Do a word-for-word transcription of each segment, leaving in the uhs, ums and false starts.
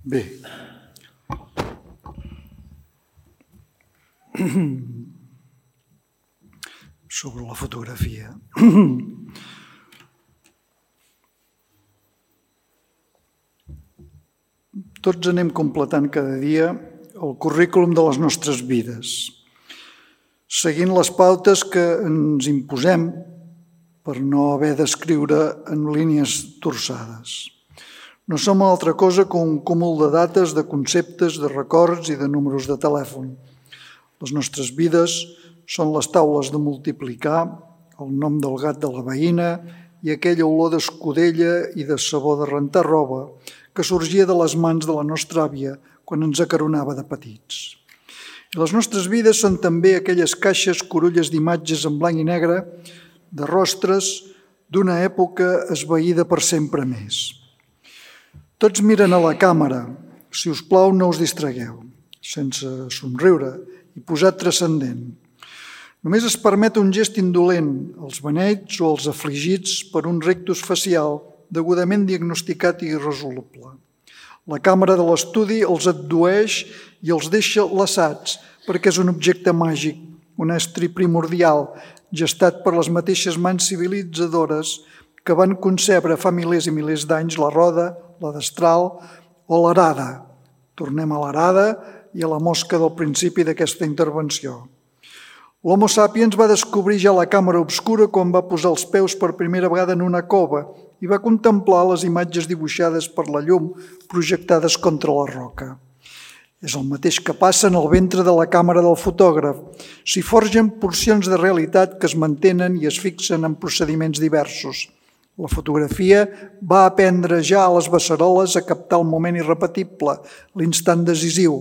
Bé, sobre la fotografia. Tots anem completant cada dia el currículum de les nostres vides, seguint les pautes que ens imposem per no haver d'escriure en línies torçades. No som altra cosa que un cúmul de dates, de conceptes, de records i de números de telèfon. Les nostres vides són les taules de multiplicar, el nom del gat de la veïna i aquella olor d'escudella i de sabó de rentar roba que sorgia de les mans de la nostra àvia quan ens acaronava de petits. I les nostres vides són també aquelles caixes corulles d'imatges en blanc i negre, de rostres d'una època esvaïda per sempre més. Tots miren a la càmera. Si us plau, no us distragueu, sense somriure i posat transcendent. Només es permet un gest indolent als beneits o als afligits per un rictus facial degudament diagnosticat i irresoluble. La càmera de l'estudi els addueix i els deixa laçats perquè és un objecte màgic, un estri primordial, gestat per les mateixes mans civilitzadores que van concebre fa milers i milers d'anys la roda, la destral o l'arada. Tornem a l'arada i a la mosca del principi d'aquesta intervenció. L'Homo sapiens va descobrir ja la càmera obscura quan va posar els peus per primera vegada en una cova i va contemplar les imatges dibuixades per la llum projectades contra la roca. És el mateix que passa en el ventre de la càmera del fotògraf. S'hi forgen porcions de realitat que es mantenen i es fixen en procediments diversos. La fotografia va aprendre ja a les beceroles a captar el moment irrepetible, l'instant decisiu,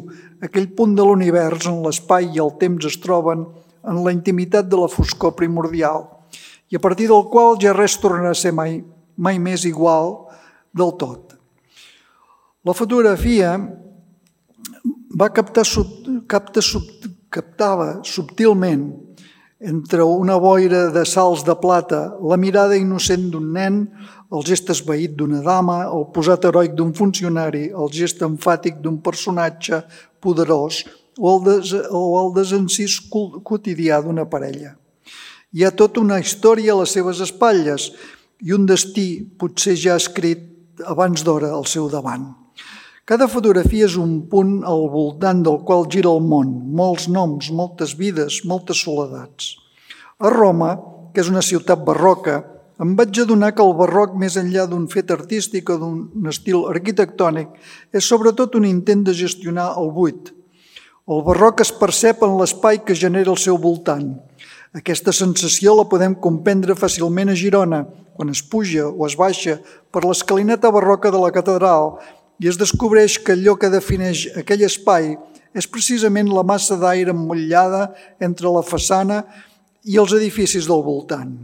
aquell punt de l'univers on l'espai i el temps es troben en la intimitat de la foscor primordial i a partir del qual ja res tornarà a ser mai, mai més igual del tot. La fotografia va captar, capta, captava subtilment entre una boira de salts de plata la mirada innocent d'un nen, el gest esvaït d'una dama, el posat heroic d'un funcionari, el gest emfàtic d'un personatge poderós o el, des, o el desencís quotidià d'una parella. Hi ha tota una història a les seves espatlles i un destí potser ja escrit abans d'hora al seu davant. Cada fotografia és un punt al voltant del qual gira el món, molts noms, moltes vides, moltes soledats. A Roma, que és una ciutat barroca, em vaig adonar que el barroc, més enllà d'un fet artístic o d'un estil arquitectònic, és sobretot un intent de gestionar el buit. El barroc es percep en l'espai que genera al seu voltant. Aquesta sensació la podem comprendre fàcilment a Girona, quan es puja o es baixa per l'escalinata barroca de la catedral i es descobreix que allò que defineix aquell espai és precisament la massa d'aire emmotllada entre la façana i els edificis del voltant.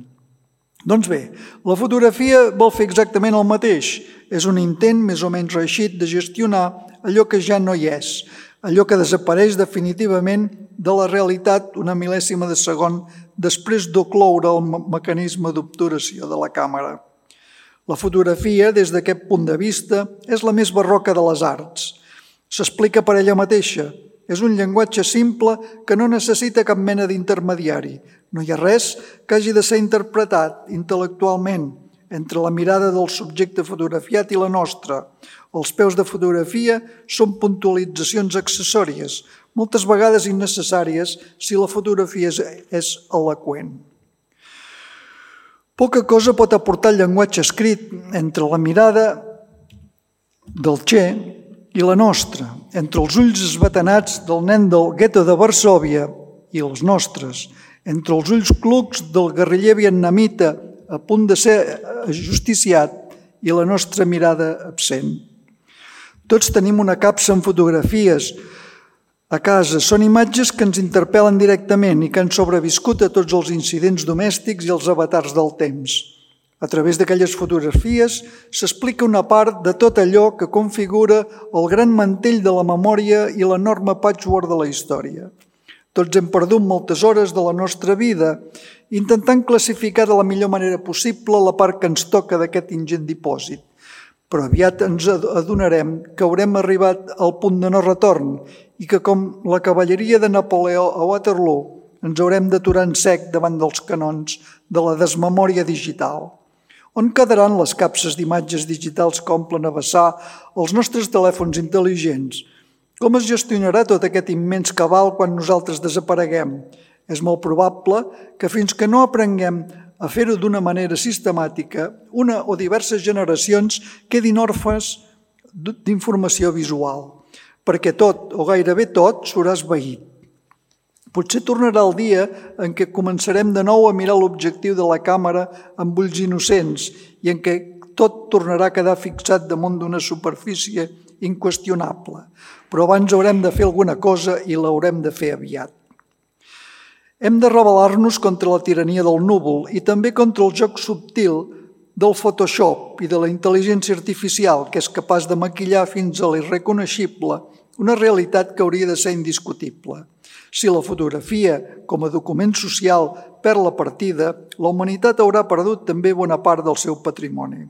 Doncs bé, la fotografia vol fer exactament el mateix. És un intent més o menys reeixit de gestionar allò que ja no hi és, allò que desapareix definitivament de la realitat una mil·lèsima de segon després d'ocloure el mecanisme d'obturació de la càmera. La fotografia, des d'aquest punt de vista, és la més barroca de les arts. S'explica per ella mateixa. És un llenguatge simple que no necessita cap mena d'intermediari. No hi ha res que hagi de ser interpretat intel·lectualment entre la mirada del subjecte fotografiat i la nostra. Els peus de fotografia són puntualitzacions accessòries, moltes vegades innecessàries si la fotografia és eloqüent. Poca cosa pot aportar el llenguatge escrit entre la mirada del Che i la nostra, entre els ulls esbatanats del nen del gueto de Varsòvia i els nostres, entre els ulls clucs del guerriller vietnamita a punt de ser ajusticiat i la nostra mirada absent. Tots tenim una capsa en fotografies a casa. Són imatges que ens interpel·len directament i que han sobreviscut a tots els incidents domèstics i els avatars del temps. A través d'aquelles fotografies s'explica una part de tot allò que configura el gran mantell de la memòria i l'enorme patchwork de la història. Tots hem perdut moltes hores de la nostra vida intentant classificar de la millor manera possible la part que ens toca d'aquest ingent dipòsit. però aviat ens adonarem que haurem arribat al punt de no retorn i que, com la cavalleria de Napoleó a Waterloo, ens haurem d'aturar en sec davant dels canons de la desmemòria digital. On quedaran les capses d'imatges digitals que omplen a vessar els nostres telèfons intel·ligents? Com es gestionarà tot aquest immens cabal quan nosaltres desapareguem? És molt probable que fins que no aprenguem a fer-ho d'una manera sistemàtica, una o diverses generacions quedin orfes d'informació visual, perquè tot, o gairebé tot, s'haurà esvaït. Potser tornarà el dia en què començarem de nou a mirar l'objectiu de la càmera amb ulls innocents i en què tot tornarà a quedar fixat damunt d'una superfície inqüestionable. Però abans haurem de fer alguna cosa i l'haurem de fer aviat. Hem de rebel·lar-nos contra la tirania del núvol i també contra el joc subtil del Photoshop i de la intel·ligència artificial que és capaç de maquillar fins a l'irreconeixible una realitat que hauria de ser indiscutible. Si la fotografia, com a document social, perd la partida, la humanitat haurà perdut també bona part del seu patrimoni.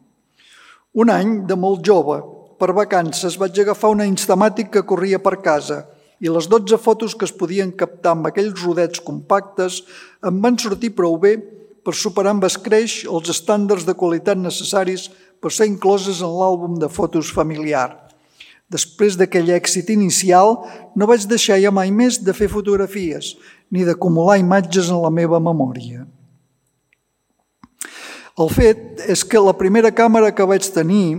Un any, de molt jove, per vacances, vaig agafar una Instamàtic que corria per casa i les dotze fotos que es podien captar amb aquells rodets compactes em van sortir prou bé per superar amb escreix els estàndards de qualitat necessaris per ser incloses en l'àlbum de fotos familiar. Després d'aquell èxit inicial, no vaig deixar ja mai més de fer fotografies ni d'acumular imatges en la meva memòria. El fet és que la primera càmera que vaig tenir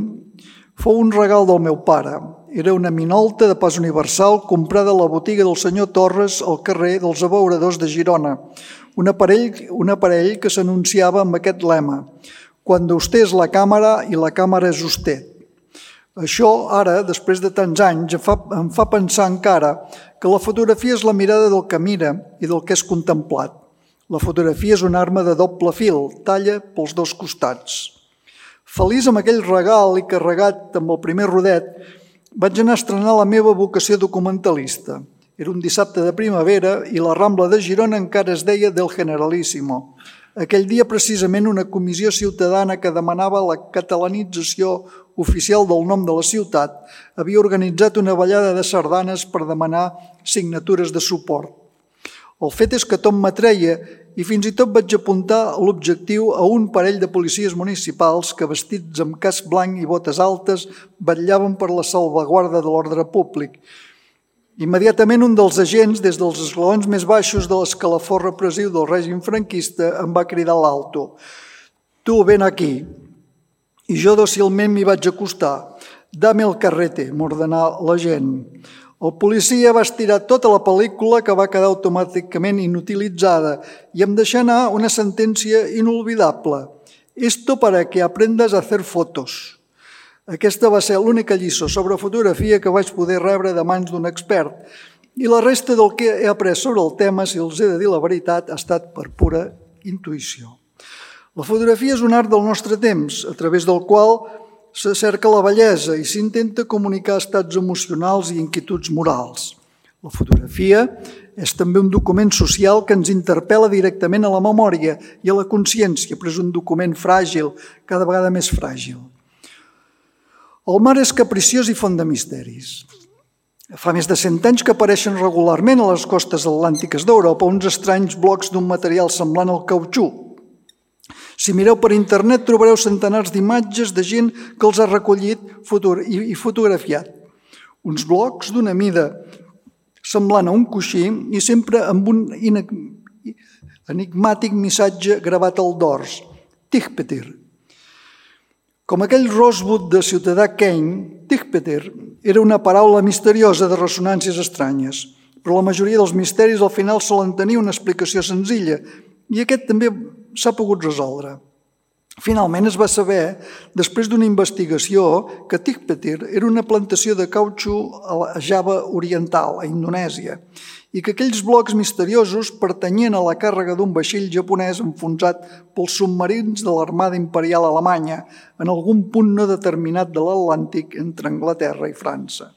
fou un regal del meu pare. Era una Minolta de pas universal comprada a la botiga del senyor Torres al carrer dels Abeuradors de Girona, un aparell, un aparell que s'anunciava amb aquest lema: «Cuando usted es la càmera i la càmera és usted». Això, ara, després de tants anys, em fa, em fa pensar encara que la fotografia és la mirada del que mira i del que és contemplat. La fotografia és una arma de doble fil, talla pels dos costats. Feliç amb aquell regal i carregat amb el primer rodet, vaig anar a estrenar la meva vocació documentalista. Era un dissabte de primavera i la Rambla de Girona encara es deia del Generalíssimo. Aquell dia, precisament, una comissió ciutadana que demanava la catalanització oficial del nom de la ciutat havia organitzat una ballada de sardanes per demanar signatures de suport. El fet és que tot m'atreia i fins i tot vaig apuntar l'objectiu a un parell de policies municipals que, vestits amb casc blanc i botes altes, vetllaven per la salvaguarda de l'ordre públic. Immediatament un dels agents, des dels esglaons més baixos de l'escalafó repressiu del règim franquista, em va cridar a l'alto: «Tu, ven aquí». I jo dòcilment m'hi vaig acostar. «Dame el carrete», m'ordenà l'agent. El policia va estirar tota la pel·lícula, que va quedar automàticament inutilitzada, i em deixà anar una sentència inolvidable: «Esto para que aprendas a hacer fotos». Aquesta va ser l'única lliçó sobre fotografia que vaig poder rebre de mans d'un expert, i la resta del que he après sobre el tema, si els he de dir la veritat, ha estat per pura intuïció. La fotografia és un art del nostre temps, a través del qual se cerca la bellesa i s'intenta comunicar estats emocionals i inquietuds morals. La fotografia és també un document social que ens interpel·la directament a la memòria i a la consciència, però és un document fràgil, cada vegada més fràgil. El mar és capriciós i font de misteris. Fa més de cent anys que apareixen regularment a les costes atlàntiques d'Europa uns estranys blocs d'un material semblant al cautxú. Si mireu per internet trobareu centenars d'imatges de gent que els ha recollit i fotografiat. Uns blocs d'una mida semblant a un coixí i sempre amb un enigmàtic missatge gravat al dors: Tigpetir. Com aquell Rosebud de Ciutadà Kane, Tigpetir era una paraula misteriosa de ressonàncies estranyes, però la majoria dels misteris al final solen tenir una explicació senzilla i aquest també s'ha pogut resoldre. Finalment es va saber, després d'una investigació, que Tigpetir era una plantació de cautxú a Java Oriental, a Indonèsia, i que aquells blocs misteriosos pertanyien a la càrrega d'un vaixell japonès enfonsat pels submarins de l'Armada Imperial Alemanya en algun punt no determinat de l'Atlàntic entre Anglaterra i França.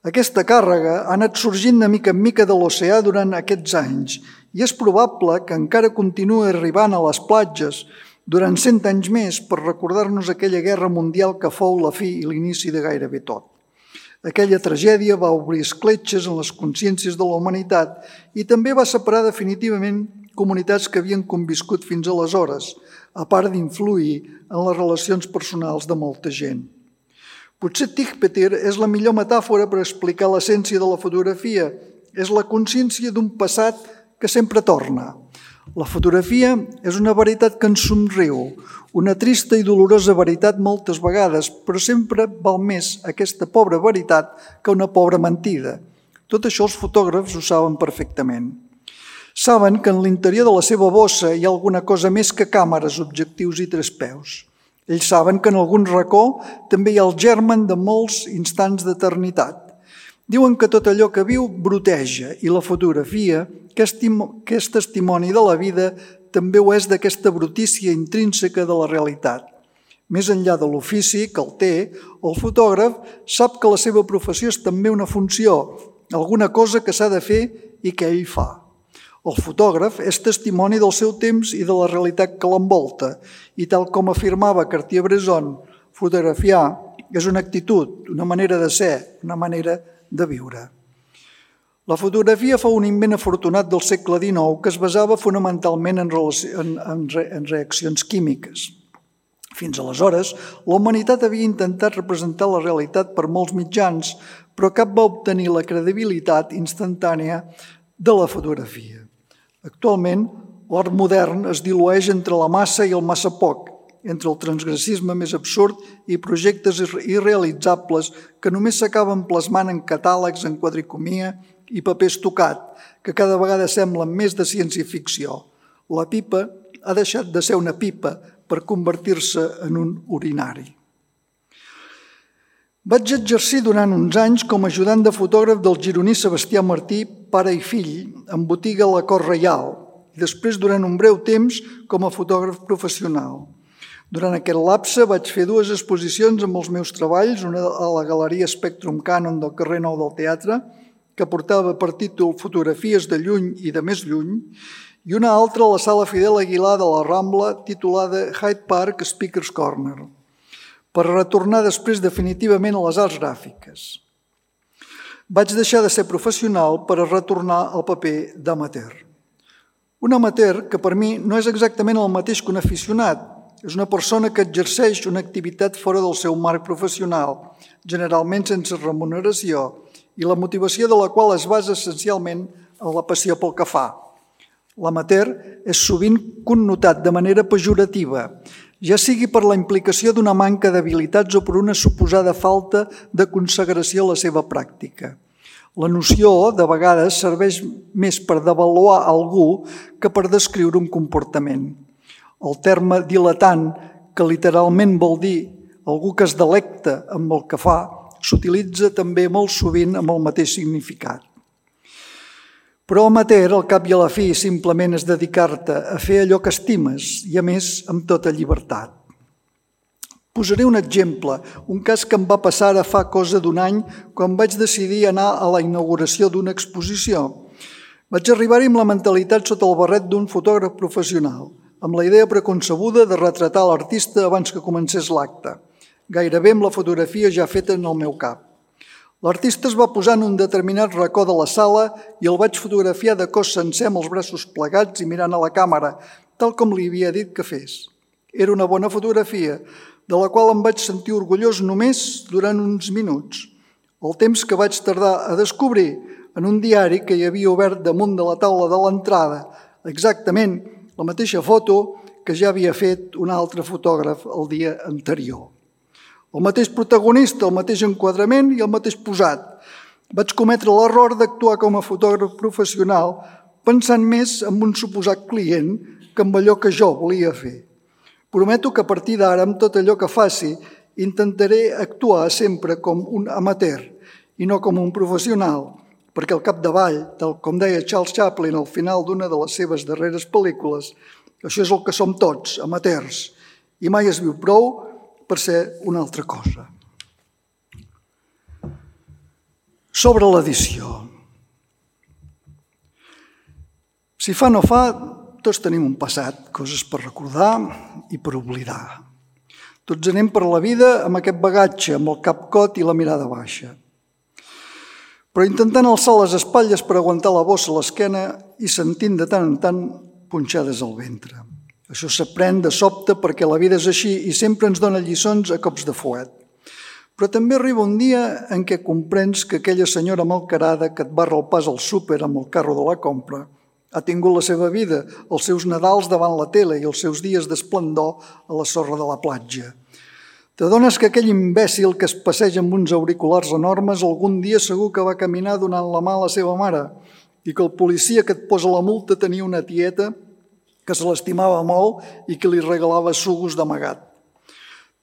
Aquesta càrrega ha anat sorgint de mica en mica de l'oceà durant aquests anys i és probable que encara continuï arribant a les platges durant cent anys més per recordar-nos aquella guerra mundial que fou la fi i l'inici de gairebé tot. Aquella tragèdia va obrir escletxes en les consciències de la humanitat i també va separar definitivament comunitats que havien conviscut fins aleshores, a part d'influir en les relacions personals de molta gent. Potser Tichpeter és la millor metàfora per explicar l'essència de la fotografia. És la consciència d'un passat que sempre torna. La fotografia és una veritat que ens somriu, una trista i dolorosa veritat moltes vegades, però sempre val més aquesta pobra veritat que una pobra mentida. Tot això els fotògrafs ho saben perfectament. Saben que en l'interior de la seva bossa hi ha alguna cosa més que càmeres, objectius i trespeus. Ells saben que en algun racó també hi ha el germen de molts instants d'eternitat. Diuen que tot allò que viu broteja i la fotografia, que és testimoni de la vida, també ho és d'aquesta brutícia intrínseca de la realitat. Més enllà de l'ofici que el té, el fotògraf sap que la seva professió és també una funció, alguna cosa que s'ha de fer i que ell fa. El fotògraf és testimoni del seu temps i de la realitat que l'envolta i tal com afirmava Cartier-Bresson, fotografiar és una actitud, una manera de ser, una manera de viure. La fotografia fou un invent afortunat del segle dinou que es basava fonamentalment en, en, en, en reaccions químiques. Fins aleshores, la humanitat havia intentat representar la realitat per molts mitjans, però cap va obtenir la credibilitat instantània de la fotografia. Actualment, l'art modern es dilueix entre la massa i el massa poc, entre el transgressisme més absurd i projectes irrealitzables que només s'acaben plasmant en catàlegs, en quadricomia i paper estocat, que cada vegada semblen més de ciència-ficció. La pipa ha deixat de ser una pipa per convertir-se en un urinari. Vaig exercir durant uns anys com a ajudant de fotògraf del gironí Sebastià Martí, pare i fill, en botiga a la Cort Reial, i després durant un breu temps com a fotògraf professional. Durant aquest lapse vaig fer dues exposicions amb els meus treballs, una a la Galeria Spectrum Canon del carrer Nou del Teatre, que portava per títol Fotografies de lluny i de més lluny, i una altra a la Sala Fidel Aguilar de la Rambla, titulada Hyde Park Speaker's Corner, per retornar després definitivament a les arts gràfiques. Vaig deixar de ser professional per a retornar al paper d'amateur. Un amateur que per mi no és exactament el mateix que un aficionat, és una persona que exerceix una activitat fora del seu marc professional, generalment sense remuneració, i la motivació de la qual es basa essencialment en la passió pel que fa. L'amateur és sovint connotat de manera pejorativa, ja sigui per la implicació d'una manca d'habilitats o per una suposada falta de consagració a la seva pràctica. La noció, de vegades, serveix més per devaluar algú que per descriure un comportament. El terme diletant, que literalment vol dir algú que es delecta amb el que fa, s'utilitza també molt sovint amb el mateix significat. Però amateur, al cap i a la fi, simplement és dedicar-te a fer allò que estimes i, a més, amb tota llibertat. Posaré un exemple, un cas que em va passar ara fa cosa d'un any quan vaig decidir anar a la inauguració d'una exposició. Vaig arribar-hi amb la mentalitat sota el barret d'un fotògraf professional, amb la idea preconcebuda de retratar l'artista abans que comencés l'acte, gairebé amb la fotografia ja feta en el meu cap. L'artista es va posar en un determinat racó de la sala i el vaig fotografiar de cos sencer amb els braços plegats i mirant a la càmera, tal com li havia dit que fes. Era una bona fotografia, de la qual em vaig sentir orgullós només durant uns minuts. El temps que vaig tardar a descobrir en un diari que hi havia obert damunt de la taula de l'entrada, exactament la mateixa foto que ja havia fet un altre fotògraf el dia anterior. El mateix protagonista, el mateix enquadrament i el mateix posat. Vaig cometre l'error d'actuar com a fotògraf professional pensant més en un suposat client que en allò que jo volia fer. Prometo que a partir d'ara, amb tot allò que faci, intentaré actuar sempre com un amateur i no com un professional, perquè al capdavall, tal com deia Charles Chaplin al final d'una de les seves darreres pel·lícules, això és el que som tots, amateurs, i mai es viu prou per ser una altra cosa. Sobre l'edició. Si fa no fa, Tots tenim un passat, coses per recordar i per oblidar. Tots anem per la vida amb aquest bagatge, amb el cap cot i la mirada baixa. Però intentant alçar les espatlles per aguantar la bossa a l'esquena i sentint de tant en tant punxades al ventre. Això s'aprèn de sobte perquè la vida és així i sempre ens dona lliçons a cops de fuet. Però també arriba un dia en què comprens que aquella senyora malcarada que et barra el pas al súper amb el carro de la compra ha tingut la seva vida, els seus Nadals davant la tele i els seus dies d'esplendor a la sorra de la platja. T'adones que aquell imbècil que es passeja amb uns auriculars enormes algun dia segur que va caminar donant la mà a la seva mare i que el policia que et posa la multa tenia una tieta que se l'estimava molt i que li regalava sugos d'amagat.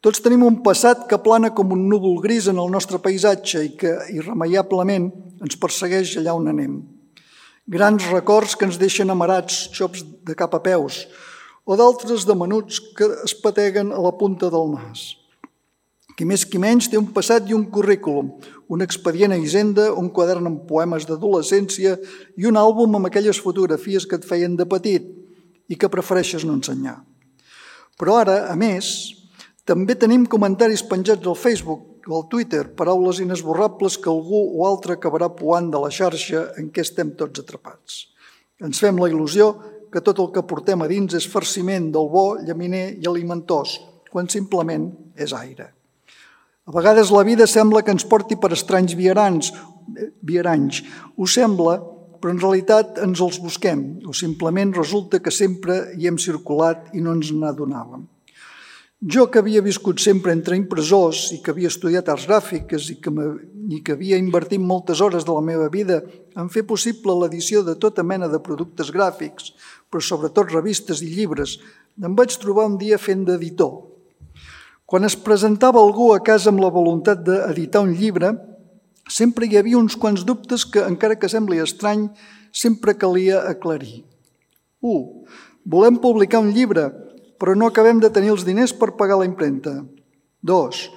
Tots tenim un passat que plana com un núvol gris en el nostre paisatge i que irremeiablement ens persegueix allà on anem. Grans records que ens deixen amarats, xops de cap a peus, o d'altres de menuts que es pateguen a la punta del nas. Qui més qui menys té un passat i un currículum, un expedient a Hisenda, un quadern amb poemes d'adolescència i un àlbum amb aquelles fotografies que et feien de petit i que prefereixes no ensenyar. Però ara, a més, també tenim comentaris penjats al Facebook o al Twitter, paraules inesborrables que algú o altre acabarà poant de la xarxa en què estem tots atrapats. Ens fem la il·lusió que tot el que portem a dins és farciment del bo, llaminer i alimentós, quan simplement és aire. A vegades la vida sembla que ens porti per estranys viaranys, viaranys. Ho sembla, però en realitat ens els busquem, o simplement resulta que sempre hi hem circulat i no ens n'adonàvem. Jo, que havia viscut sempre entre impressors i que havia estudiat arts gràfiques i que, i que havia invertit moltes hores de la meva vida en fer possible l'edició de tota mena de productes gràfics, però sobretot revistes i llibres, em vaig trobar un dia fent d'editor. Quan es presentava algú a casa amb la voluntat d'editar un llibre, sempre hi havia uns quants dubtes que, encara que sembli estrany, sempre calia aclarir. u. Volem publicar un llibre, però no acabem de tenir els diners per pagar la impremta. dos.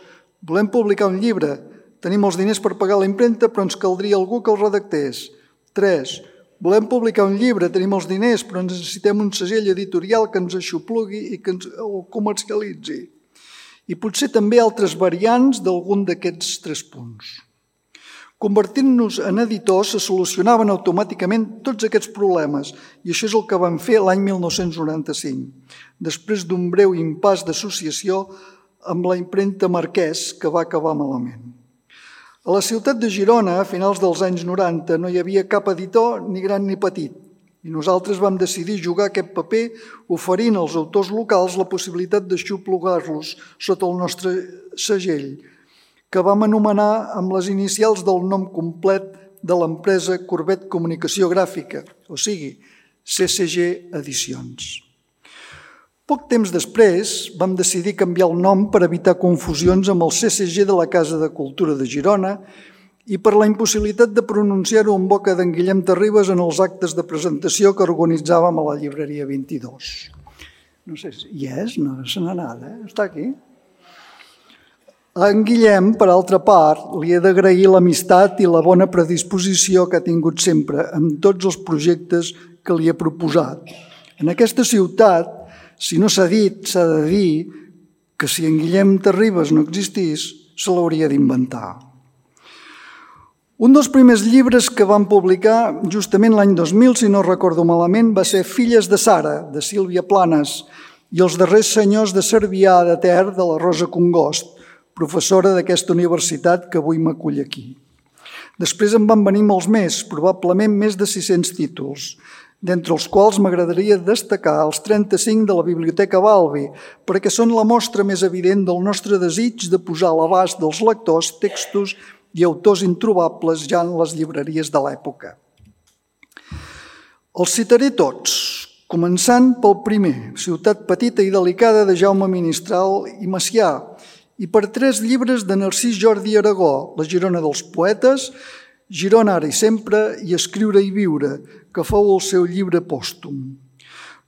Volem publicar un llibre, tenim els diners per pagar la impremta, però ens caldria algú que el redactés. tres. Volem publicar un llibre, tenim els diners, però necessitem un segell editorial que ens aixoplugui i que ens el comercialitzi. I potser també altres variants d'algun d'aquests tres punts. Convertint-nos en editors se solucionaven automàticament tots aquests problemes i això és el que vam fer l'any mil nou-cents noranta-cinc, després d'un breu impàs d'associació amb la impremta Marquès que va acabar malament. A la ciutat de Girona, a finals dels anys noranta, no hi havia cap editor ni gran ni petit i nosaltres vam decidir jugar aquest paper oferint als autors locals la possibilitat d'aixoplugar-los sota el nostre segell, que vam anomenar amb les inicials del nom complet de l'empresa Corbet Comunicació Gràfica, o sigui, C C G Edicions. Poc temps després vam decidir canviar el nom per evitar confusions amb el C C G de la Casa de Cultura de Girona i per la impossibilitat de pronunciar-ho en boca d'en Guillem Terribas en els actes de presentació que organitzàvem a la llibreria vint-i-dos. No sé si hi és, no se n'ha anat, eh? Està aquí. A en Guillem, per altra part, li he d'agrair l'amistat i la bona predisposició que ha tingut sempre en tots els projectes que li he proposat. En aquesta ciutat, si no s'ha dit, s'ha de dir que si en Guillem Terribas no existís, se l'hauria d'inventar. Un dels primers llibres que vam publicar justament l'any dos mil, si no recordo malament, va ser Filles de Sara, de Sílvia Planes, i Els darrers senyors de Cervià de Ter, de la Rosa Congost, professora d'aquesta universitat que avui m'acull aquí. Després en van venir molts més, probablement més de sis-cents títols, d'entre els quals m'agradaria destacar els trenta-cinc de la Biblioteca Balbi, perquè són la mostra més evident del nostre desig de posar a l'abast dels lectors textos i autors introbables ja en les llibreries de l'època. Els citaré tots, començant pel primer, Ciutat petita i delicada de Jaume Ministral i Macià, i per tres llibres de Narcís Jordi Aragó, La Girona dels poetes, Girona ara i sempre i Escriure i viure, que fou el seu llibre pòstum.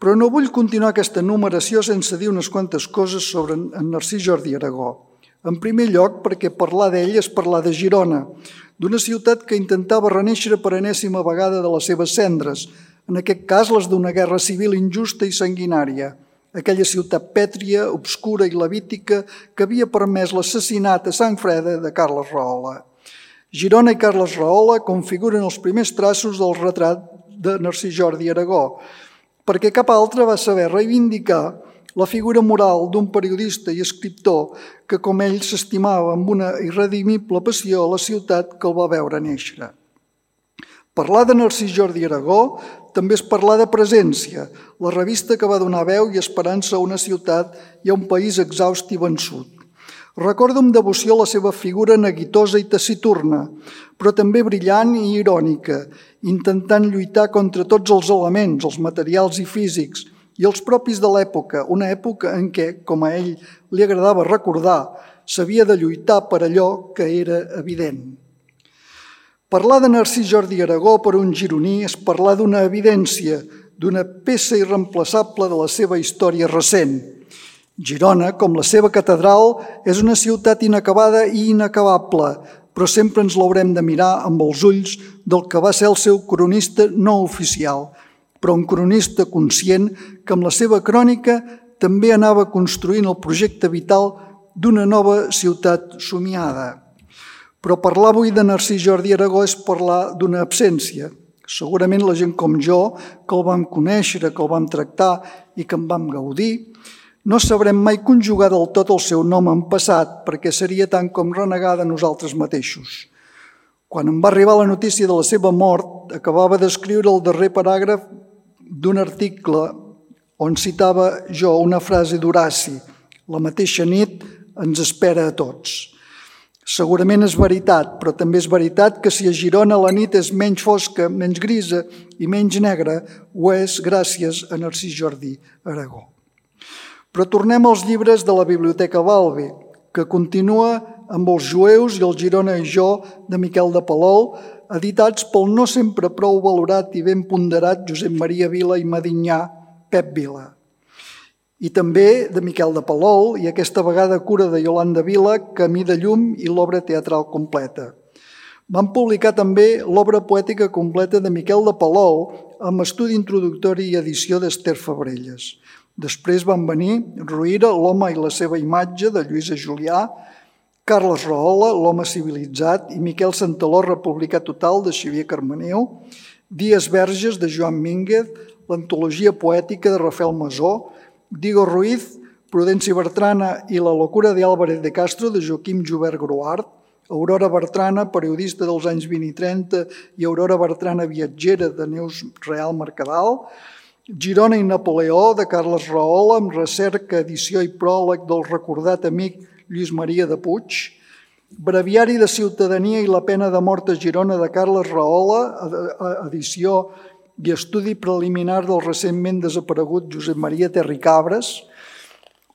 Però no vull continuar aquesta numeració sense dir unes quantes coses sobre en Narcís Jordi Aragó. En primer lloc, perquè parlar d'ell és parlar de Girona, d'una ciutat que intentava renéixer per enèsima vegada de les seves cendres, en aquest cas les d'una guerra civil injusta i sanguinària, aquella ciutat pètria, obscura i levítica que havia permès l'assassinat a sang freda de Carles Rahola. Girona i Carles Rahola configuren els primers traços del retrat de Narcís Jordi Aragó, perquè cap altre va saber reivindicar la figura moral d'un periodista i escriptor que, com ell, s'estimava amb una irredimible passió a la ciutat que el va veure néixer. Parlar de Narcís Jordi Aragó també és parlar de Presència, la revista que va donar veu i esperança a una ciutat i a un país exhaust i vençut. Recordo amb devoció la seva figura neguitosa i taciturna, però també brillant i irònica, intentant lluitar contra tots els elements, els materials i físics, i els propis de l'època, una època en què, com a ell li agradava recordar, s'havia de lluitar per allò que era evident. Parlar de Narcís Jordi Aragó per un gironí és parlar d'una evidència, d'una peça irreemplaçable de la seva història recent. Girona, com la seva catedral, és una ciutat inacabada i inacabable, però sempre ens l'haurem de mirar amb els ulls del que va ser el seu cronista no oficial, però un cronista conscient que amb la seva crònica també anava construint el projecte vital d'una nova ciutat somiada. Però parlar avui de Narcís Jordi Aragó és parlar d'una absència. Segurament la gent com jo, que el vam conèixer, que el vam tractar i que en vam gaudir, no sabrem mai conjugar del tot el seu nom en passat, perquè seria tant com renegar de nosaltres mateixos. Quan em va arribar la notícia de la seva mort, acabava d'escriure el darrer paràgraf d'un article on citava jo una frase d'Horaci: la mateixa nit ens espera a tots. Segurament és veritat, però també és veritat que si a Girona la nit és menys fosca, menys grisa i menys negra, ho és gràcies a Narcís Jordi Aragó. Però tornem als llibres de la Biblioteca Balbi, que continua amb Els jueus i el Girona i jo de Miquel de Palol, editats pel no sempre prou valorat i ben ponderat Josep Maria Vila i Medinyà, Pep Vila. I també de Miquel de Palol i aquesta vegada cura de Iolanda Vila, Camí de llum i l'obra teatral completa. Van publicar també l'obra poètica completa de Miquel de Palol amb estudi introductori i edició d'Ester Fabrelles. Després van venir Ruïra, l'home i la seva imatge, de Lluïsa Julià, Carles Rahola, l'home civilitzat, i Miquel Santaló, Republicà total, de Xavier Carmeneu, Dies Verges, de Joan Mínguez, l'antologia poètica de Rafael Masó, Diego Ruiz, Prudencia Bertrana i La locura de Álvarez de Castro, de Joaquim Jubert Gruart, Aurora Bertrana, periodista dels anys vint i trenta, i Aurora Bertrana viatgera, de Neus Real Mercadal, Girona i Napoleó, de Carles Rahola, amb recerca, edició i pròleg del recordat amic Lluís Maria de Puig, Breviari de ciutadania i la pena de mort a Girona, de Carles Rahola, edició i estudi preliminar del recentment desaparegut Josep Maria Terricabres,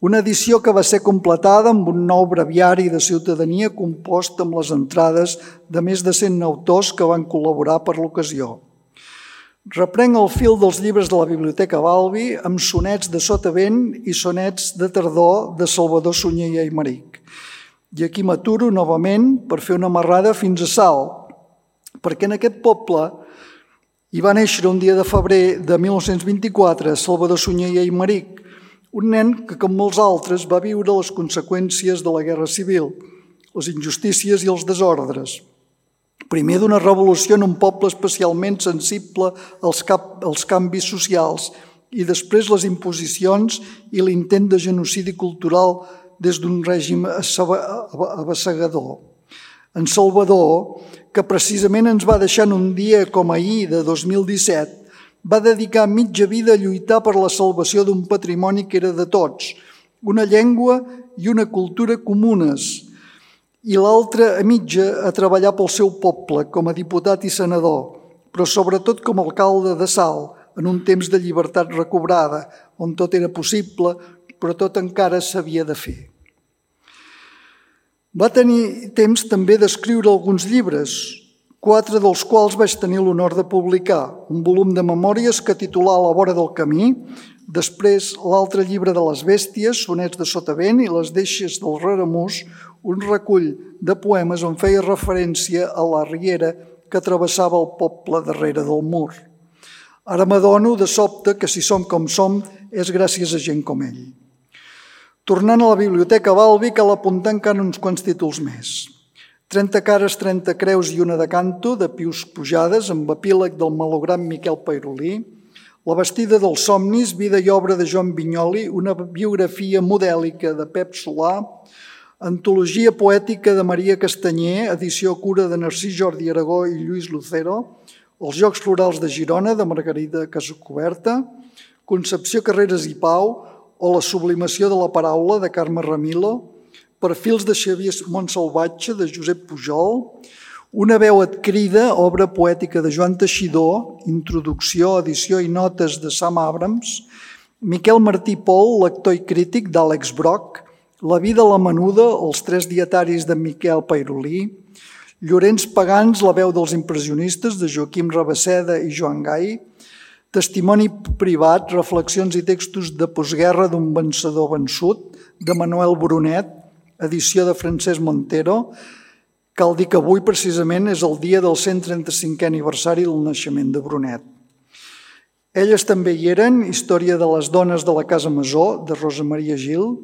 una edició que va ser completada amb un nou breviari de ciutadania compost amb les entrades de més de cent autors que van col·laborar per l'ocasió. Reprenc el fil dels llibres de la Biblioteca Balbi amb sonets de Sotavent i sonets de tardor de Salvador Sunyer i Aymeric. I aquí m'aturo novament per fer una marrada fins a Salt, perquè en aquest poble hi va néixer un dia de febrer de mil nou-cents vint-i-quatre Salvador Sunyer i Aymeric, un nen que, com molts altres, va viure les conseqüències de la Guerra Civil, les injustícies i els desordres. Primer d'una revolució en un poble especialment sensible als, cap, als canvis socials i després les imposicions i l'intent de genocidi cultural des d'un règim avassegador. En Salvador, que precisament ens va deixar en un dia com ahir de dos mil disset, va dedicar mitja vida a lluitar per la salvació d'un patrimoni que era de tots, una llengua i una cultura comunes, i l'altra a mitja a treballar pel seu poble com a diputat i senador, però sobretot com a alcalde de Salt, en un temps de llibertat recobrada, on tot era possible, però tot encara s'havia de fer. Va tenir temps també d'escriure alguns llibres, quatre dels quals vaig tenir l'honor de publicar, un volum de memòries que titulà A la vora del camí, després l'altre llibre de les bèsties, sonets de Sotavent i les deixes del Reramús, un recull de poemes on feia referència a la riera que travessava el poble darrere del mur. Ara m'adono de sobte que si som com som és gràcies a gent com ell. Tornant a la Biblioteca Balbi cal apuntar encara uns quants títols més. trenta cares, trenta creus i una de canto, de Pius Pujades, amb epíleg del malograt Miquel Peirolí, La vestida dels somnis, vida i obra de Joan Vinyoli, una biografia modèlica de Pep Solà, antologia poètica de Maria Castanyer, edició cura de Narcís Jordi Aragó i Lluís Lucero, Els Jocs Florals de Girona, de Margarida Casacoberta, Concepció Carreras i Pau, o La sublimació de la paraula, de Carme Ramilo, Perfils de Xavier Montsalvatge, de Josep Pujol, Una veu et crida, obra poètica de Joan Teixidor, introducció, edició i notes de Sam Abrams, Miquel Martí Pol, lector i crític, d'Àlex Broc, La vida a la menuda, els tres dietaris de Miquel Peirolí, Llorenç Pagans, la veu dels impressionistes, de Joaquim Rabasseda i Joan Gai, Testimoni privat, reflexions i textos de postguerra d'un vencedor vençut, de Manuel Brunet, edició de Francesc Montero. Cal dir que avui precisament és el dia del cent trenta-cinquè aniversari del naixement de Brunet. Elles també hi eren, Història de les dones de la Casa Masó, de Rosa Maria Gil,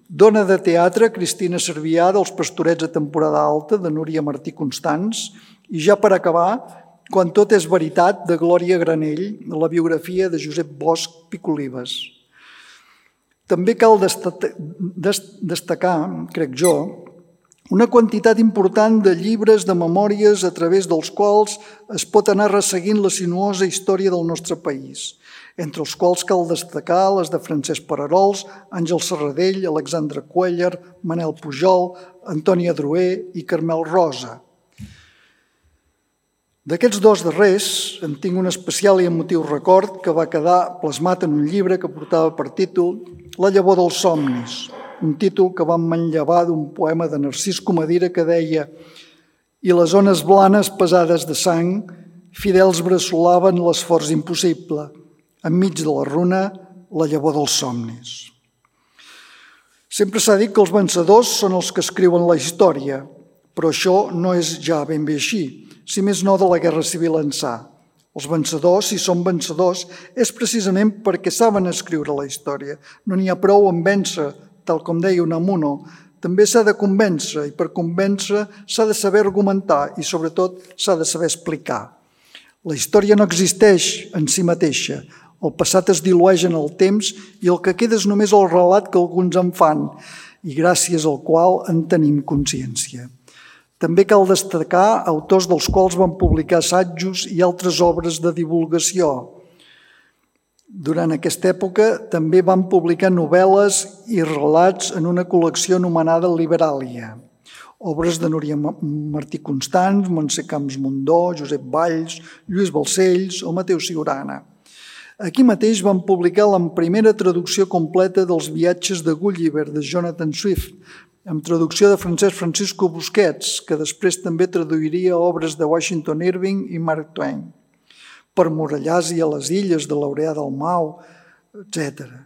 Dona de teatre, Cristina Cervià, dels Pastorets a temporada alta, de Núria Martí Constans, i ja per acabar, Quan tot és veritat, de Glòria Granell, la biografia de Josep Bosch Picolibes. També cal destacar, crec jo, una quantitat important de llibres, de memòries, a través dels quals es pot anar resseguint la sinuosa història del nostre país, entre els quals cal destacar les de Francesc Pararols, Àngel Serradell, Alexandre Cuéllar, Manel Pujol, Antoni Adroer i Carmel Rosa. D'aquests dos darrers en tinc un especial i emotiu record que va quedar plasmat en un llibre que portava per títol La llavor dels somnis, un títol que vam manllevar d'un poema de Narcís Comadira que deia «I les ones blanes pesades de sang, fidels bressolaven l'esforç impossible, enmig de la runa, la llavor dels somnis». Sempre s'ha dit que els vencedors són els que escriuen la història, però això no és ja ben bé així, si més no de la Guerra Civil ençà. Els vencedors, si són vencedors, és precisament perquè saben escriure la història. No n'hi ha prou en vèncer, tal com deia Unamuno. També s'ha de convèncer, i per convèncer s'ha de saber argumentar i, sobretot, s'ha de saber explicar. La història no existeix en si mateixa. El passat es dilueix en el temps i el que queda és només el relat que alguns en fan i gràcies al qual en tenim consciència. També cal destacar autors dels quals van publicar assajos i altres obres de divulgació. Durant aquesta època també van publicar novel·les i relats en una col·lecció anomenada Liberàlia. Obres de Núria Martí Constans, Montse Camps Mundó, Josep Valls, Lluís Balcells o Mateu Siurana. Aquí mateix van publicar la primera traducció completa dels viatges de Gulliver de Jonathan Swift, amb traducció de Francesc Francisco Busquets, que després també traduiria obres de Washington Irving i Mark Twain, Per Morellàs i a les Illes, de Laureà Dalmau, etcètera.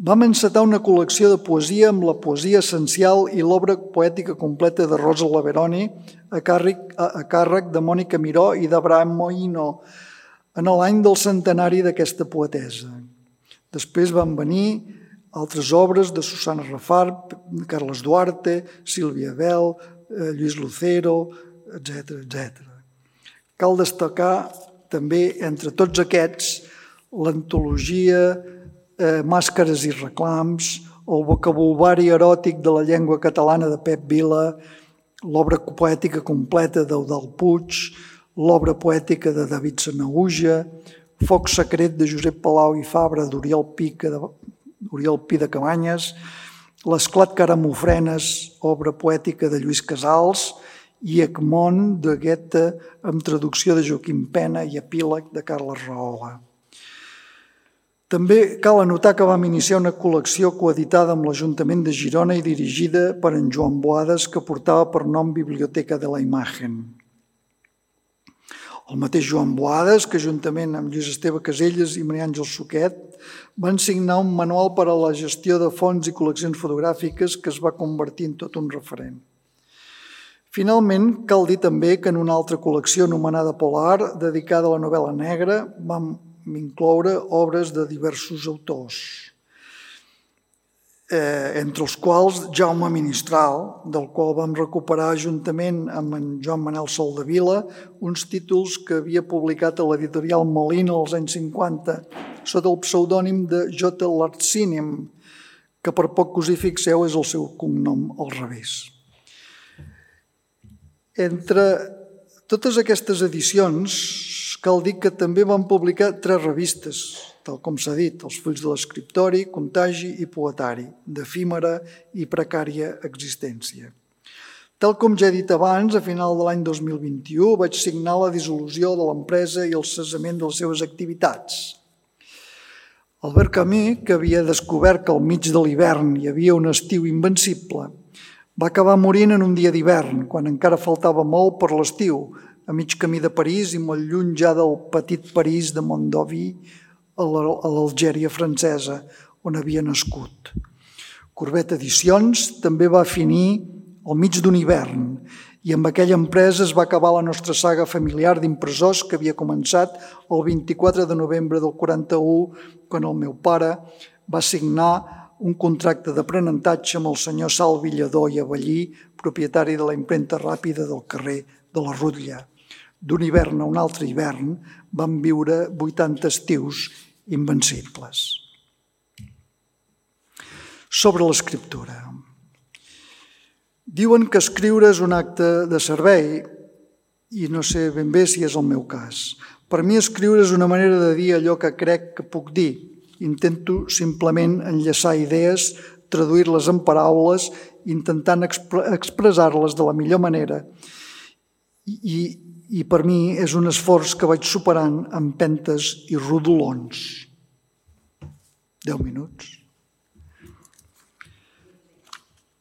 Vam encetar una col·lecció de poesia amb la poesia essencial i l'obra poètica completa de Rosa Laveroni a càrrec de Mònica Miró i d'Abraham Moïno en l'any del centenari d'aquesta poetesa. Després van venir altres obres de Susana Rafart, Carles Duarte, Sílvia Bel, Lluís Lucero, etcètera, etcètera. Cal destacar també entre tots aquests l'antologia Màscares i reclams, el vocabulari eròtic de la llengua catalana de Pep Vila, l'obra poètica completa d'Eudald Puig, l'obra poètica de David Sanahuja, Foc secret de Josep Palau i Fabra d'Oriol Pica de Oriol Pi de Cabanyes, L'esclat Caramofrenes, obra poètica de Lluís Casals, i Egmont de Goethe, amb traducció de Joaquim Pena i epíleg de Carles Rahola. També cal anotar que vam iniciar una col·lecció coeditada amb l'Ajuntament de Girona i dirigida per en Joan Boades, que portava per nom Biblioteca de la Imagen. El mateix Joan Boades, que juntament amb Lluís Esteve Caselles i Maria Àngels Suquet van signar un manual per a la gestió de fons i col·leccions fotogràfiques que es va convertir en tot un referent. Finalment, cal dir també que en una altra col·lecció anomenada Polar, dedicada a la novel·la negra, vam incloure obres de diversos autors, eh, entre els quals Jaume Ministral, del qual vam recuperar juntament amb en Joan Manel Soldevila uns títols que havia publicat a l'editorial Molina als anys cinquanta sota el pseudònim de J. Larcínim, que per poc que us hi fixeu és el seu cognom al revés. Entre totes aquestes edicions cal dir que també van publicar tres revistes, tal com s'ha dit, els Fulls de l'Escriptori, Contagi i Poetari, d'efímera i precària existència. Tal com ja he dit abans, a final de l'any dos mil vint-i-u vaig signar la dissolució de l'empresa i el cessament de les seves activitats. Albert Camus, que havia descobert que al mig de l'hivern hi havia un estiu invencible, va acabar morint en un dia d'hivern, quan encara faltava molt per l'estiu, a mig camí de París i molt lluny ja del petit París de Mondovì, a l'Algèria francesa, on havia nascut. Corbet Edicions també va finir al mig d'un hivern i amb aquella empresa es va acabar la nostra saga familiar d'impressors que havia començat el vint-i-quatre de novembre del quaranta-u, quan el meu pare va signar un contracte d'aprenentatge amb el senyor Salvi Lledó i Avellí, propietari de la impremta ràpida del carrer de la Rutlla. D'un hivern a un altre hivern vam viure vuitanta estius invencibles. Sobre l'escriptura. Diuen que escriure és un acte de servei i no sé ben bé si és el meu cas. Per mi escriure és una manera de dir allò que crec que puc dir. Intento simplement enllaçar idees, traduir-les en paraules, intentant expressar-les de la millor manera. I, i per mi és un esforç que vaig superant amb empentes i rodolons. Deu minuts.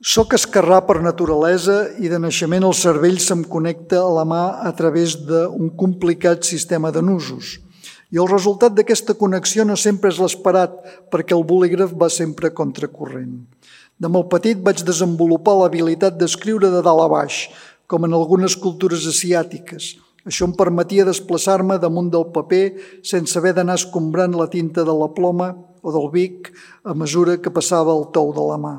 Soc esquerrà per naturalesa i de naixement el cervell se'm connecta a la mà a través d'un complicat sistema de nusos. I el resultat d'aquesta connexió no sempre és l'esperat, perquè el bolígraf va sempre contracorrent. De molt petit vaig desenvolupar l'habilitat d'escriure de dalt a baix, com en algunes cultures asiàtiques. Això em permetia desplaçar-me damunt del paper sense haver d'anar escombrant la tinta de la ploma o del bic a mesura que passava el tou de la mà.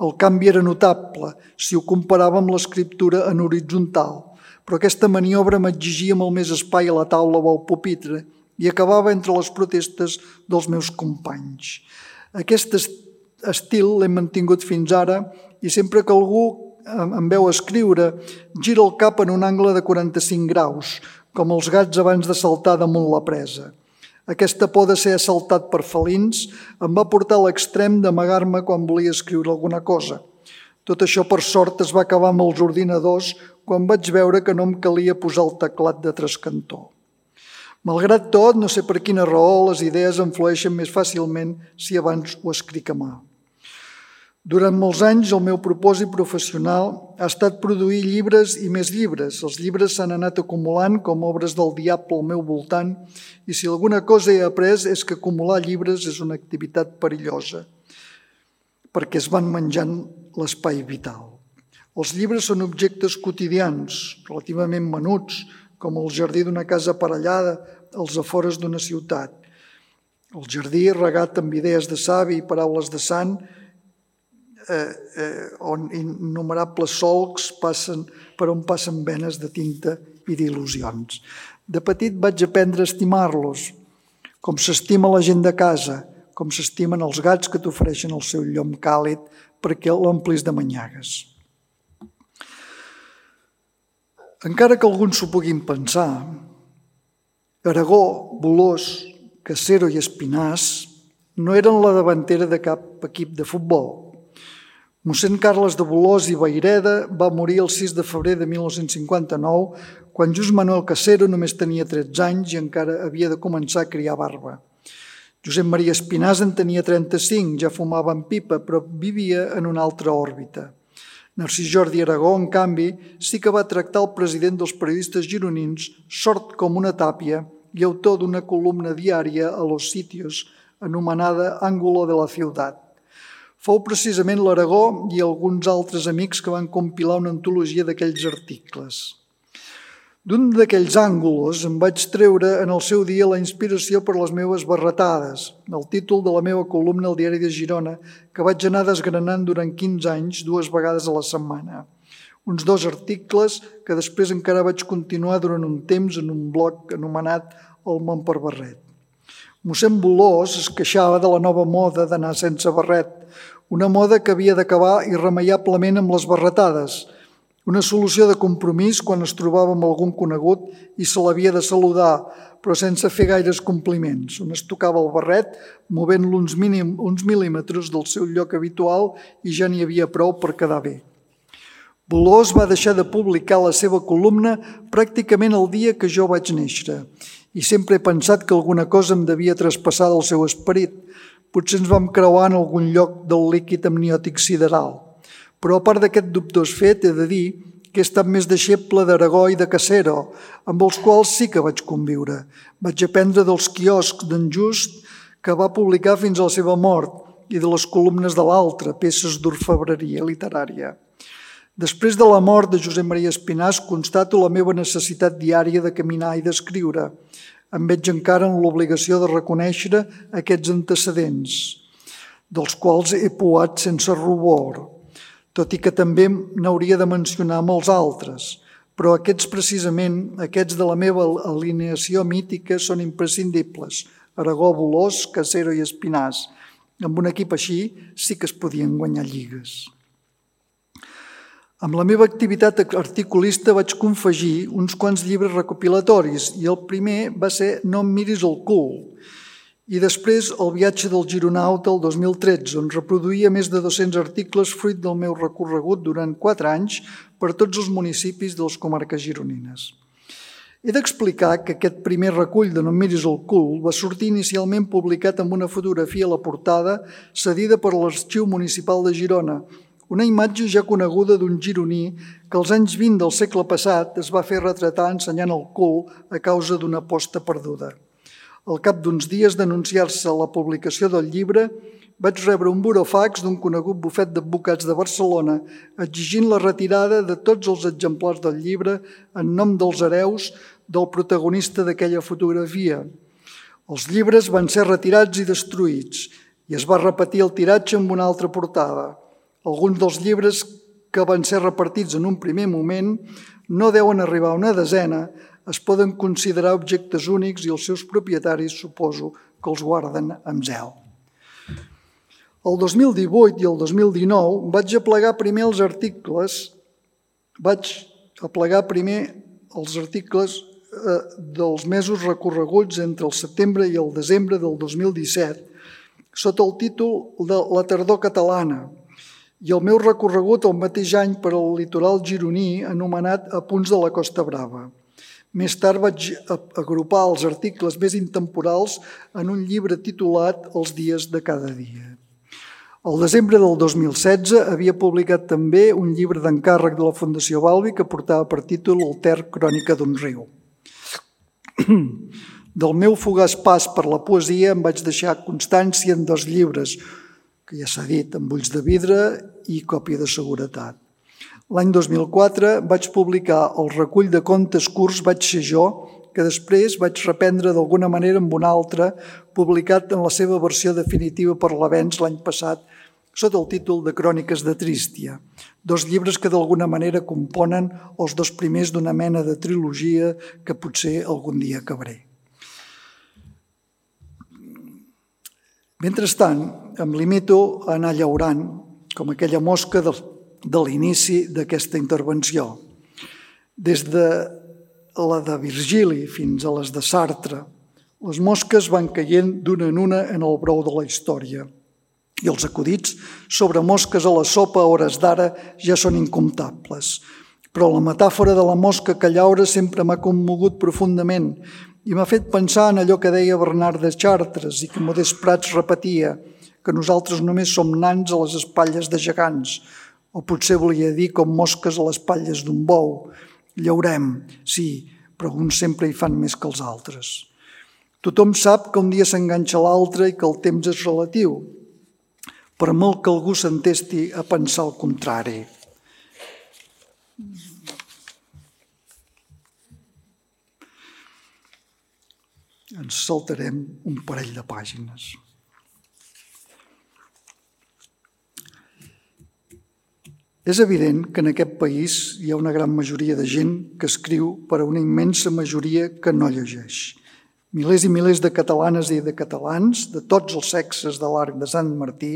El canvi era notable si ho comparava amb l'escriptura en horitzontal, però aquesta maniobra m'exigia molt més espai a la taula o al pupitre i acabava entre les protestes dels meus companys. Aquest estil l'he mantingut fins ara i sempre que algú em veu escriure gira el cap en un angle de quaranta-cinc graus, com els gats abans de saltar damunt la presa. Aquesta por de ser assaltat per felins em va portar a l'extrem d'amagar-me quan volia escriure alguna cosa. Tot això, per sort, es va acabar amb els ordinadors quan vaig veure que no em calia posar el teclat de trascantó. Malgrat tot, no sé per quina raó, les idees em flueixen més fàcilment si abans ho escric a mà. Durant molts anys, el meu propòsit professional ha estat produir llibres i més llibres. Els llibres s'han anat acumulant com obres del diable al meu voltant i si alguna cosa he après és que acumular llibres és una activitat perillosa perquè es van menjant l'espai vital. Els llibres són objectes quotidians, relativament menuts, com el jardí d'una casa aparellada als afores d'una ciutat. El jardí regat amb idees de savi i paraules de sant, Eh, eh, on innumerables solcs passen, per on passen venes de tinta i d'il·lusions. De petit vaig aprendre a estimar-los, com s'estima la gent de casa, com s'estimen els gats que t'ofereixen el seu llom càlid perquè l'omplis de manyagues. Encara que alguns s'ho puguin pensar, Aragó, Bolòs, Casero i Espinàs no eren la davantera de cap equip de futbol. Mossèn Carles de Bolòs i Vayreda va morir el sis de febrer de mil nou-cents cinquanta-nou, quan Just Manuel Casero només tenia tretze anys i encara havia de començar a criar barba. Josep Maria Espinàs en tenia trenta-cinc, ja fumava en pipa, però vivia en una altra òrbita. Narcís Jordi Aragó, en canvi, sí que va tractar el president dels periodistes gironins sord com una tàpia i autor d'una columna diària a Los Sitios, anomenada Ángulo de la Ciutat. Fou precisament l'Aragó i alguns altres amics que van compilar una antologia d'aquells articles. D'un d'aquells àngulos em vaig treure en el seu dia la inspiració per les meves barretades, el títol de la meva columna al Diari de Girona, que vaig anar desgranant durant quinze anys, dues vegades a la setmana. Uns dos articles que després encara vaig continuar durant un temps en un blog anomenat El món per barret. Mossèn Bolòs es queixava de la nova moda d'anar sense barret, una moda que havia d'acabar irremeiablement amb les barretades, una solució de compromís quan es trobava amb algun conegut i se l'havia de saludar, però sense fer gaires compliments. On es tocava el barret, movent-lo uns, mínim, uns mil·límetres del seu lloc habitual i ja n'hi havia prou per quedar bé. Bolòs va deixar de publicar la seva columna pràcticament el dia que jo vaig néixer i sempre he pensat que alguna cosa em devia traspassar del seu esperit. Potser ens vam creuar en algun lloc del líquid amniòtic sideral. Però a part d'aquest dubtós fet, he de dir que he estat més deixeble d'Aragó i de Casero, amb els quals sí que vaig conviure. Vaig aprendre dels quioscs d'en Just, que va publicar fins a la seva mort, i de les columnes de l'altre, peces d'orfebreria literària. Després de la mort de Josep Maria Espinàs, constato la meva necessitat diària de caminar i d'escriure. Em veig encara en l'obligació de reconèixer aquests antecedents, dels quals he poat sense rubor, tot i que també n'hauria de mencionar molts altres. Però aquests precisament, aquests de la meva alineació mítica, són imprescindibles. Aragó, Bolòs, Casero i Espinàs. Amb un equip així sí que es podien guanyar lligues. Amb la meva activitat articulista vaig confegir uns quants llibres recopilatoris i el primer va ser No em miris el cul, i després El viatge del gironauta el dos mil tretze, on reproduïa més de dos-cents articles fruit del meu recorregut durant quatre anys per tots els municipis de les comarques gironines. He d'explicar que aquest primer recull de No em miris el cul va sortir inicialment publicat amb una fotografia a la portada cedida per l'Arxiu Municipal de Girona, una imatge ja coneguda d'un gironí que als anys vint del segle passat es va fer retratar ensenyant el cul a causa d'una aposta perduda. Al cap d'uns dies d'anunciar-se la publicació del llibre, vaig rebre un burofax d'un conegut bufet d'advocats de Barcelona exigint la retirada de tots els exemplars del llibre en nom dels hereus del protagonista d'aquella fotografia. Els llibres van ser retirats i destruïts i es va repetir el tiratge amb una altra portada. Alguns dels llibres que van ser repartits en un primer moment no deuen arribar a una desena, es poden considerar objectes únics i els seus propietaris suposo que els guarden amb zel. El dos mil divuit i el dos mil dinou vaig aplegar primer els articles, vaig aplegar primer els articles dels mesos recorreguts entre el setembre i el desembre del dos mil disset sota el títol de La tardor catalana i el meu recorregut el mateix any per al litoral gironí anomenat Apunts de la Costa Brava. Més tard vaig agrupar els articles més intemporals en un llibre titulat Els dies de cada dia. Al desembre del dos mil setze havia publicat també un llibre d'encàrrec de la Fundació Balbi que portava per títol El Ter, crònica d'un riu. Del meu fugaç pas per la poesia em vaig deixar constància en dos llibres, que ja s'ha dit, amb ulls de vidre i còpia de seguretat. L'any dos mil quatre vaig publicar el recull de contes curts Vaig ser jo, que després vaig reprendre d'alguna manera amb un altre, publicat en la seva versió definitiva per l'Avenç l'any passat, sota el títol de Cròniques de Trístia, dos llibres que d'alguna manera componen els dos primers d'una mena de trilogia que potser algun dia acabaré. Mentrestant, em limito a anar llaurant, com aquella mosca del de l'inici d'aquesta intervenció. Des de la de Virgili fins a les de Sartre, les mosques van caient d'una en una en el brou de la història i els acudits sobre mosques a la sopa a hores d'ara ja són incomptables. Però la metàfora de la mosca que llaura sempre m'ha commogut profundament i m'ha fet pensar en allò que deia Bernard de Chartres i que Modest Prats repetia, que nosaltres només som nans a les espatlles de gegants, o potser volia dir com mosques a les espatlles d'un bou. Llaurem, sí, però uns sempre hi fan més que els altres. Tothom sap que un dia s'enganxa l'altre i que el temps és relatiu, per molt que algú s'entesti a pensar el contrari. Ens saltarem un parell de pàgines. És evident que en aquest país hi ha una gran majoria de gent que escriu per a una immensa majoria que no llegeix. Milers i milers de catalanes i de catalans, de tots els sexes de l'Arc de Sant Martí,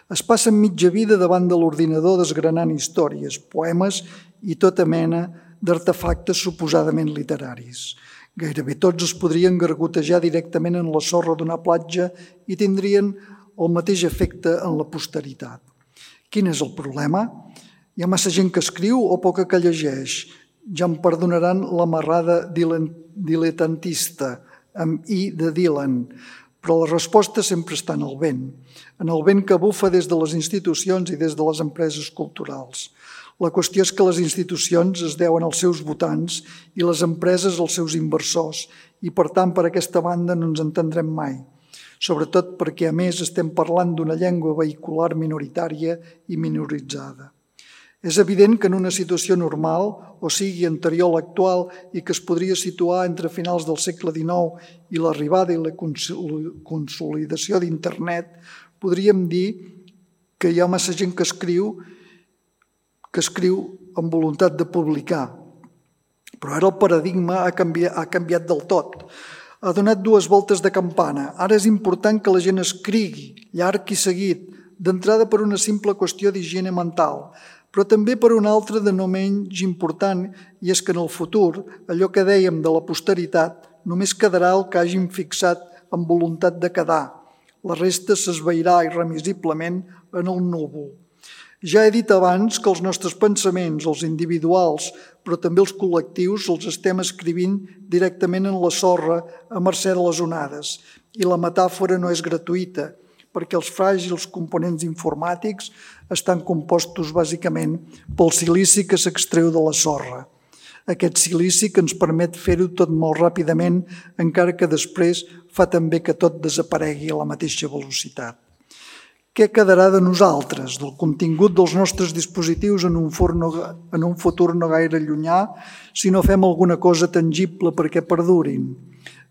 es passen mitja vida davant de l'ordinador desgranant històries, poemes i tota mena d'artefactes suposadament literaris. Gairebé tots es podrien gargotejar directament en la sorra d'una platja i tindrien el mateix efecte en la posteritat. Quin és el problema? Hi ha massa gent que escriu o poca que llegeix? Ja em perdonaran l'amarrada diletantista, amb i de Dylan, però la resposta sempre està en el vent, en el vent que bufa des de les institucions i des de les empreses culturals. La qüestió és que les institucions es deuen als seus votants i les empreses als seus inversors i, per tant, per aquesta banda no ens entendrem mai. Sobretot perquè, a més, estem parlant d'una llengua vehicular minoritària i minoritzada. És evident que en una situació normal, o sigui anterior a l'actual i que es podria situar entre finals del segle dinou i l'arribada i la consolidació d'Internet, podríem dir que hi ha massa gent que escriu, que escriu amb voluntat de publicar. Però ara el paradigma ha canviat, ha canviat del tot. Ha donat dues voltes de campana. Ara és important que la gent escrigui, llarg i seguit, d'entrada per una simple qüestió d'higiene mental, però també per una altra de no menys important, i és que en el futur, allò que dèiem de la posteritat, només quedarà el que hagin fixat amb voluntat de quedar. La resta s'esvairà irremisiblement en el núvol. Ja he dit abans que els nostres pensaments, els individuals, però també els col·lectius, els estem escrivint directament en la sorra a mercè de les onades. I la metàfora no és gratuïta, perquè els fràgils components informàtics estan compostos bàsicament pel silici que s'extreu de la sorra. Aquest silici que ens permet fer-ho tot molt ràpidament, encara que després fa també que tot desaparegui a la mateixa velocitat. Què quedarà de nosaltres, del contingut dels nostres dispositius en un, forno, en un futur no gaire llunyà, si no fem alguna cosa tangible perquè perdurin?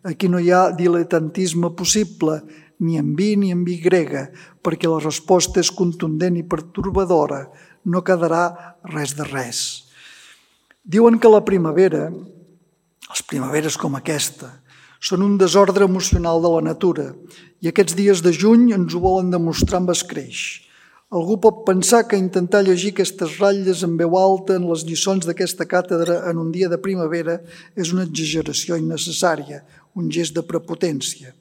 Aquí no hi ha diletantisme possible, ni en vi ni en vi grega, perquè la resposta és contundent i pertorbadora, no quedarà res de res. Diuen que la primavera, les primaveres com aquesta, són un desordre emocional de la natura i aquests dies de juny ens ho volen demostrar amb escreix. Algú pot pensar que intentar llegir aquestes ratlles en veu alta en les lliçons d'aquesta càtedra en un dia de primavera és una exageració innecessària, un gest de prepotència.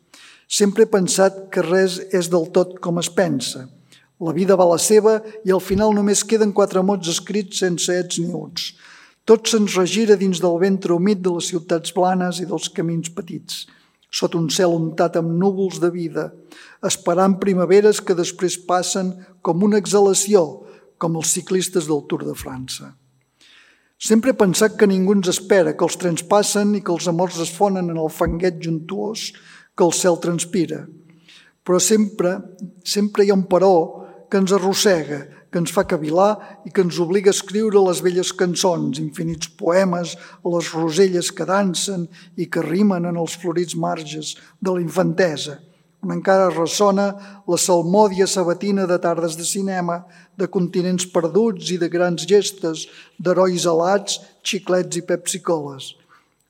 Sempre he pensat que res és del tot com es pensa. La vida va la seva i al final només queden quatre mots escrits sense ets ni uts. Tot se'ns regira dins del ventre humit de les ciutats planes i dels camins petits, sota un cel untat amb núvols de vida, esperant primaveres que després passen com una exhalació, com els ciclistes del Tour de França. Sempre he pensat que ningú ens espera, que els trens passen i que els amors es fonen en el fanguet juntuós que el cel transpira. Però sempre, sempre hi ha un però que ens arrossega, que ens fa cavilar i que ens obliga a escriure les velles cançons, infinits poemes a les roselles que dansen i que rimen en els florits marges de la infantesa, on encara ressona la salmòdia sabatina de tardes de cinema, de continents perduts i de grans gestes, d'herois alats, xiclets i pepsicoles.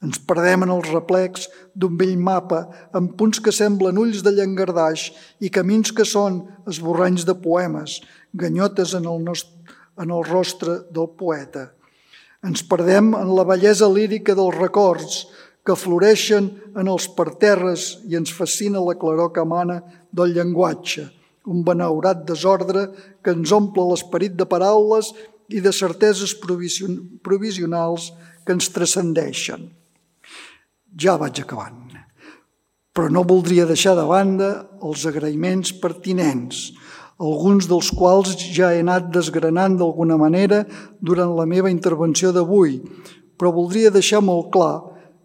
Ens perdem en els replecs d'un vell mapa amb punts que semblen ulls de llangardaix i camins que són esborranys de poemes, ganyotes en el, nostre, en el rostre del poeta. Ens perdem en la bellesa lírica dels records que floreixen en els parterres i ens fascina la claror que emana del llenguatge, un benaurat desordre que ens omple l'esperit de paraules i de certeses provisionals que ens transcendeixen. Ja vaig acabant, però no voldria deixar de banda els agraïments pertinents, alguns dels quals ja he anat desgranant d'alguna manera durant la meva intervenció d'avui, però voldria deixar molt clar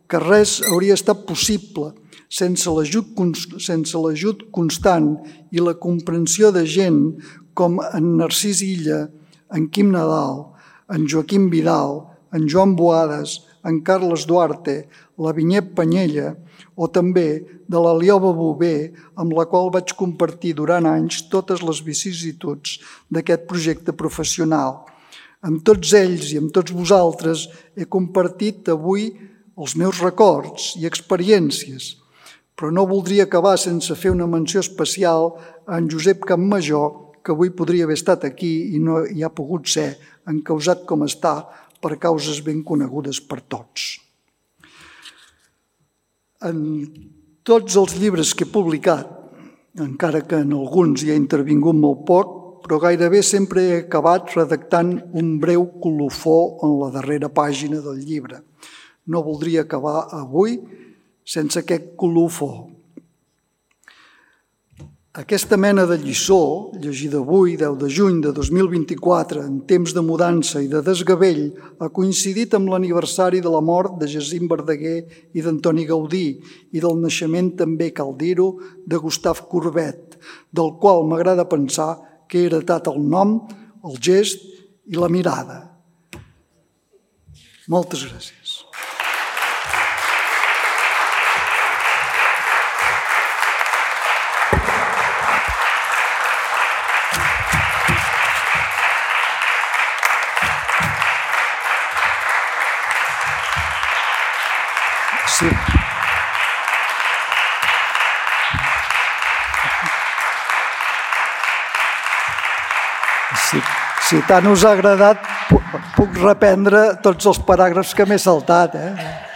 que res hauria estat possible sense l'ajut sense l'ajut constant i la comprensió de gent com en Narcís Illa, en Quim Nadal, en Joaquim Vidal, en Joan Boades, en Carles Duarte, la Vinyet Panyella, o també de la Lioba Bové, amb la qual vaig compartir durant anys totes les vicissituds d'aquest projecte professional. Amb tots ells i amb tots vosaltres he compartit avui els meus records i experiències, però no voldria acabar sense fer una menció especial a en Josep Campmajor, que avui podria haver estat aquí i no hi ha pogut ser, encausat com està per causes ben conegudes per tots. En tots els llibres que he publicat, encara que en alguns hi ha intervingut molt poc, però gairebé sempre he acabat redactant un breu colofó en la darrera pàgina del llibre. No voldria acabar avui sense aquest colofó. Aquesta mena de lliçó, llegida avui, deu de juny de dos mil vint-i-quatre, en temps de mudança i de desgavell, ha coincidit amb l'aniversari de la mort de Jacint Verdaguer i d'Antoni Gaudí i del naixement, també cal dir-ho, de Gustave Courbet, del qual m'agrada pensar que he heretat el nom, el gest i la mirada. Moltes gràcies. Sí. Sí. Si tant us ha agradat, puc reprendre tots els paràgrafs que m'he saltat, eh?